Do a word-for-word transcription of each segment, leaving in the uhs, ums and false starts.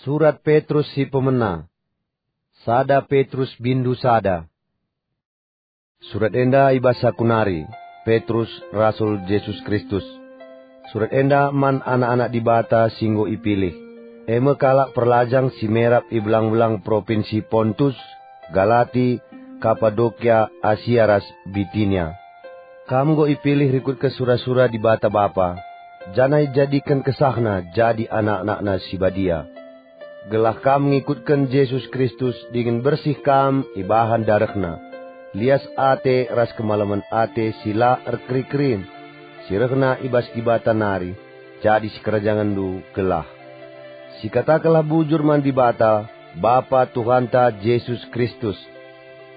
Surat Petrus si pemena. Sada Petrus bindu sada. Surat enda i bas aku nari, Petrus, rasul Jesus Kristus. Surat enda man anak-anak Dibata si enggo ipilih, e me kalak perlajang si merap i belang-belang propinsi Pontus, Galati, Kapadokia, Asia ras Bitinia. Kam enggo ipilih rikutken sura-sura Dibata Bapa, janah ijadiken kesahNa jadi anak-anakNa si badia, gelah kam ngikutken Jesus Kristus dingen bersih kam ibahan darehNa, lias ate ras kemalemen ate si la erkeri-kerin, si rehna i bas Dibata nari, jadi sikerajangenndu gelah. Sikatakenlah bujur man Dibata, Bapa Tuhanta Jesus Kristus.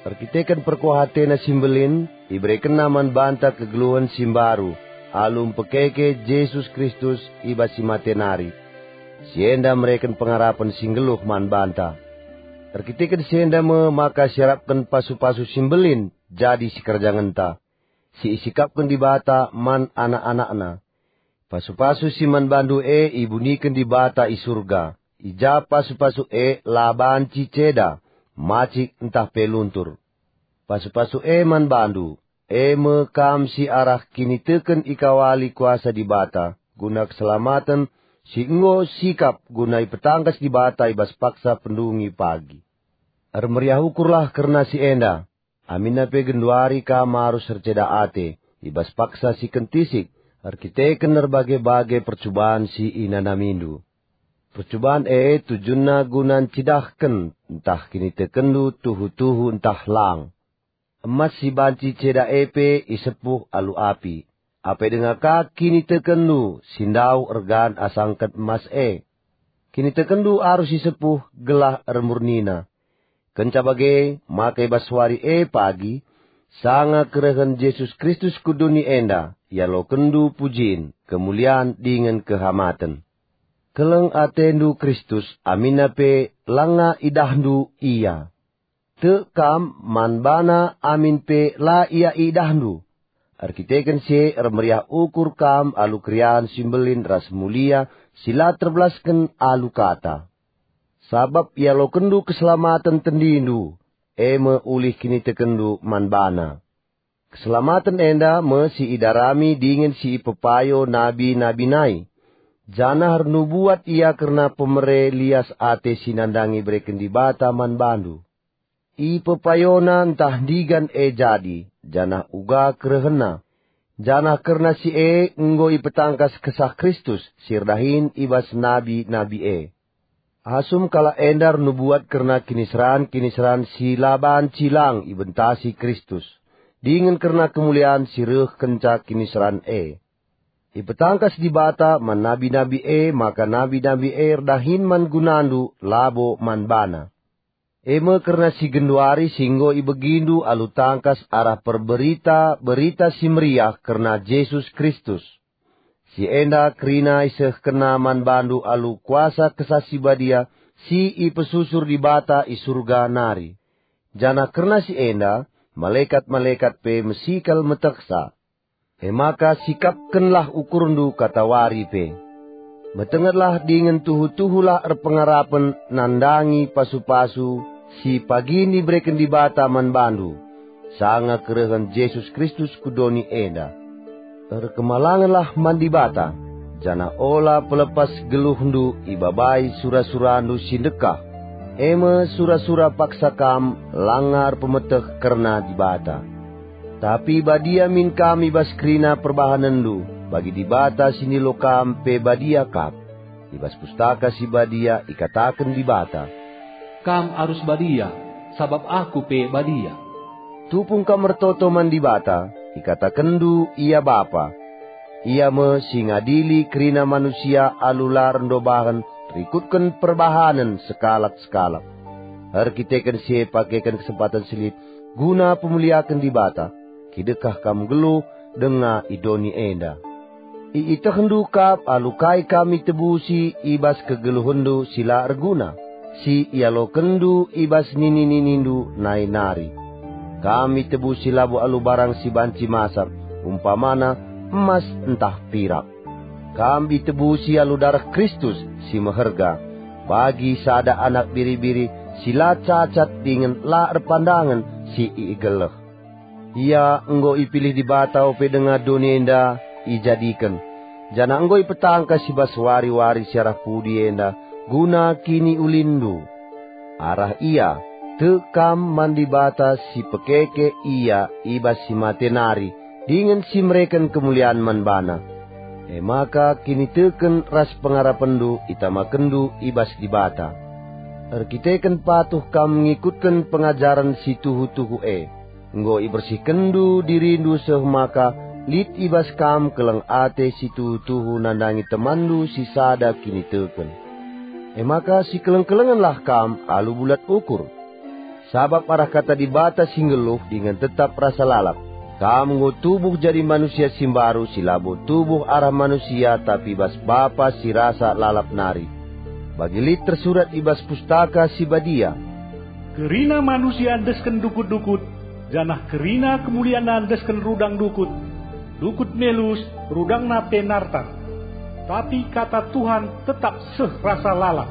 Erkiteken perkuah ateNa si mbelin, iberekenNa man banta kegeluhen si mbaru, alu mpekeke Jesus Kristus i bas si mate nari. Si enda mereken pengarapen si nggeluh man banta. Erkiteken si enda me maka siarapken pasu-pasu si mbelin jadi sikerajangenta, si isikapken Dibata man anak-anakNa. Pasu-pasu si man bandu e ibuniken Dibata i Surga, i ja pasu-pasu e la banci ceda, macik ntah pe luntur. Pasu-pasu e man bandu, e me kam si arah kiniteken ikawali kuasa Dibata guna keselamaten si enggo sikap guna ipetangkas Dibata i bas paksa pendungi pagi. Ermeriah ukurlah kerna si enda, aminna pe genduari kam arus erceda ate i bas paksa si kentisik erkiteken erbage-bage percuban si inanamindu. Percuban e tujunna guna ncidahken ntah kinitekenndu tuhu-tuhu ntah lang. Emas si banci ceda e pe isepuh alu api, apai denga ka kinitekenndu si ndauh ergan asangken emas e. Kinitekenndu arus isepuh gelah ermurnina. Kenca bage, maka i bas wari e pagi, sanga kerehen Jesus Kristus ku doni enda, ialokenndu pujin, kemulian dingen kehamaten. Keleng atendu Kristus, aminna pe langa idahndu Ia. Tek kam man baNa amin pe la ia idahndu. Erkiteken si e ermeriah ukur kam alu keriahen si mbelin ras mulia si la terbelasken alu kata. Sabap ialokenndu keselamaten tendindu, e me ulih kinitekenndu man baNa. Keselamaten enda me si idarami dingen si ipepayo nabi-nabi nai, janah ernubuat ia kerna pemere lias ate si nandangi ibereken Dibata man bandu. Ipepayona ntah ndigan e jadi, janah uga kerehenna, janah kerna si e enggo ipetangkas Kesah Kristus si erdahin i bas nabi-nabi e. Asum kalak enda ernubuat kerna kiniseran-kiniseran si la banci lang ibentasi Kristus, dingen kerna kemulian si reh kenca kiniseran e. Ipetangkas Dibata man nabi-nabi e maka nabi-nabi e erdahin man gunandu, labo man baNa. E me kerna si genduari si enggo ibegindu alu tangkas arah perberita Berita Si Meriah kerna Jesus Kristus. Si enda kerina isehkenNa man bandu alu kuasa Kesah Si Badia si ipesusur Dibata i Surga nari. Janah kerna si enda, malekat-malekat pe mesi kal metehsa. E maka sikapkenlah ukurndu katawari pe. Metengetlah dingen tuhu-tuhulah erpengarapen nandangi pasu-pasu si pagi ibereken Dibata man bandu, sanga kerehen Jesus Kristus ku doni enda. Erkemalangenlah man Dibata, janah ola pelepas geluhndu ibabai sura-surandu si ndekah, e me sura-sura paksa kam langa erpemeteh kerna Dibata. Tapi badia min kam i bas kerina perbahanenndu, bagi Dibata si ndilo kam pe badia kap. I bas Pustaka Si Badia ikataken Dibata, "Kam arus badia, sabap Aku pe badia." Tupung kam ertoto man Dibata, ikatakenndu Ia Bapa. Ia me si ngadili kerina manusia alu la erndobahen rikutken perbahanen sekalak-sekalak. Erkiteken si e pakeken kesempaten si lit guna pemuliaken Dibata, kidekah kam nggeluh denga i doni enda. Iitehndu kap alu kai kam itebusi i bas kegeluhenndu si la erguna, si ialokenndu i bas nini-ninindu nai nari. Kam itebusi labo alu barang si banci masak, umpamana emas ntah pirak. Kam itebusi alu dareh Kristus si meherga. bagi sada anak biri-biri si la cacat dingen la erpandangen si igeleh. Ia enggo ipilih Dibata ope denga doni enda ijadiken, janah enggo ipetangkas i bas wari-wari si arah pudi enda guna kiniulinndu. Arah ia, tek kam man Dibata si pekeke ia i bas si mate nari dingen si mereken kemulian man baNa. E maka kiniteken ras pengarapenndu itamakenndu i bas Dibata. Erkiteken patuh kam ngikutken pengajaren si tuhu-tuhu e, enggo ibersihkenndu dirindu seh maka lit i bas kam keleng ate si tuhu-tuhu nandangi temanndu si sada kiniteken. E maka sikeleng-kelengenlah kam alu bulat ukur. Sabap arah kata Dibata si nggeluh dingen tetap rasa lalap, kam enggo tubuh jadi manusia si mbaru si labo tubuh arah manusia tapi bas Bapa si rasa lalap nari. Bagi lit tersurat i bas Pustaka Si Badia, "Kerina manusia endesken dukut-dukut, janah kerina kemulianna endesken rudang dukut, dukut melus, rudangna pe nartar. Tapi kata Tuhan tetap seh rasa lalap."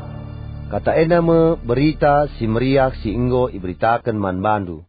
Kata enda me Berita Si Meriah si enggo iberitaken man bandu.